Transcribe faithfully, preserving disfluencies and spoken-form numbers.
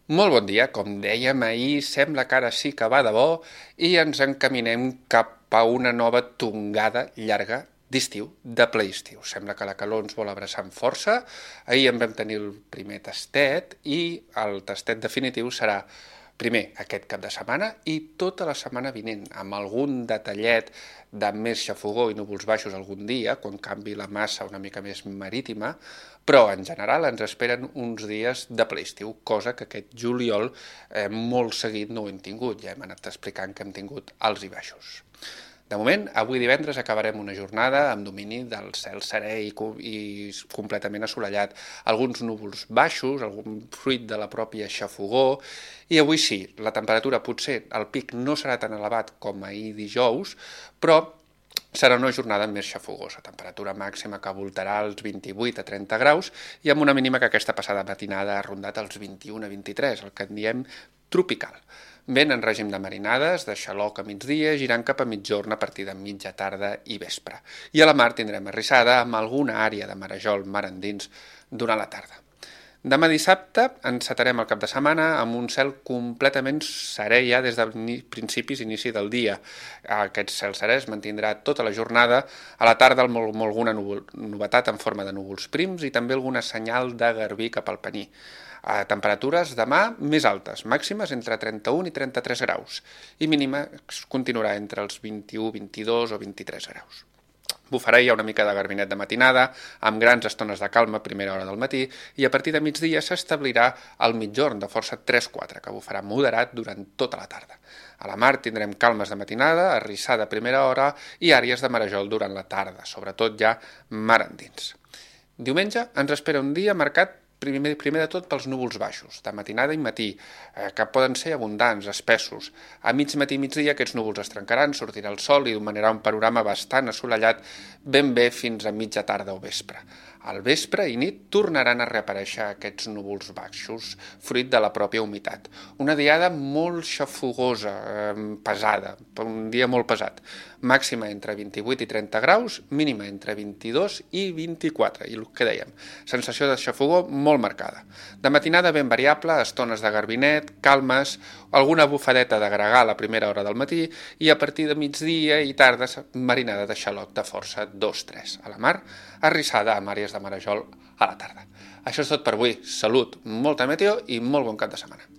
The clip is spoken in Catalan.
Molt bon dia. Com dèiem ahir, sembla que ara sí que va de bo i ens encaminem cap a una nova tongada llarga d'estiu, de ple estiu. Sembla que la calor ens vol abraçar amb força. Ahir en vam tenir el primer tastet i el tastet definitiu serà primer aquest cap de setmana i tota la setmana vinent, amb algun detallet de més xafogó i núvols baixos algun dia, quan canvi la massa una mica més marítima, però en general ens esperen uns dies de ple estiu, cosa que aquest juliol eh, molt seguit no ho hem tingut, ja hem anat explicant que hem tingut alts i baixos. De moment, avui divendres acabarem una jornada amb domini del cel serè i, i completament assolellat. Alguns núvols baixos, algun fruit de la pròpia xafogó, i avui sí, la temperatura potser, el pic no serà tan elevat com ahir dijous, però serà una jornada més xafogosa, temperatura màxima que voltarà als vint-i-vuit a trenta graus i amb una mínima que aquesta passada matinada ha rondat els vint-i-un a vint-i-tres, el que en diem tropical. Vent en règim de marinades, de xaloc a migdia, girant cap a mitjorn a partir de mitja tarda i vespre. I a la mar tindrem arrissada amb alguna àrea de marejol mar endins durant la tarda. Demà dissabte encetarem el cap de setmana amb un cel completament serè ja des de principis i inici del dia. Aquest cel serè es mantindrà tota la jornada, a la tarda amb alguna novetat en forma de núvols prims i també alguna senyal de garbí cap al Pení. A temperatures demà més altes, màximes entre trenta-un i trenta-tres graus i mínima continuarà entre els vint-i-u, vint-i-dos o vint-i-tres graus. Bufarà ja una mica de garbinet de matinada, amb grans estones de calma a primera hora del matí, i a partir de migdia s'establirà el mitjorn de força tres quatre, que bufarà moderat durant tota la tarda. A la mar tindrem calmes de matinada, arrissada a primera hora i àrees de marejol durant la tarda, sobretot ja mar endins. Diumenge ens espera un dia marcat Primer, primer de tot pels núvols baixos, de matinada i matí, eh, que poden ser abundants, espessos. A mig matí i migdia aquests núvols es trencaran, sortirà el sol i dominarà un panorama bastant assolellat ben bé fins a mitja tarda o vespre. Al vespre i nit tornaran a reaparèixer aquests núvols baixos, fruit de la pròpia humitat. Una diada molt xafogosa, eh, pesada, un dia molt pesat. Màxima entre vint-i-vuit i trenta graus, mínima entre vint-i-dos i vint-i-quatre, i el que dèiem, sensació de xafogó molt marcada. De matinada ben variable, estones de garbinet, calmes, alguna bufadeta de gregal a la primera hora del matí i a partir de migdia i tarda marinada de xaloc de força dos tres. A la mar, arrissada amb àrees de marejol a la tarda. Això és tot per avui. Salut, molta meteo i molt bon cap de setmana.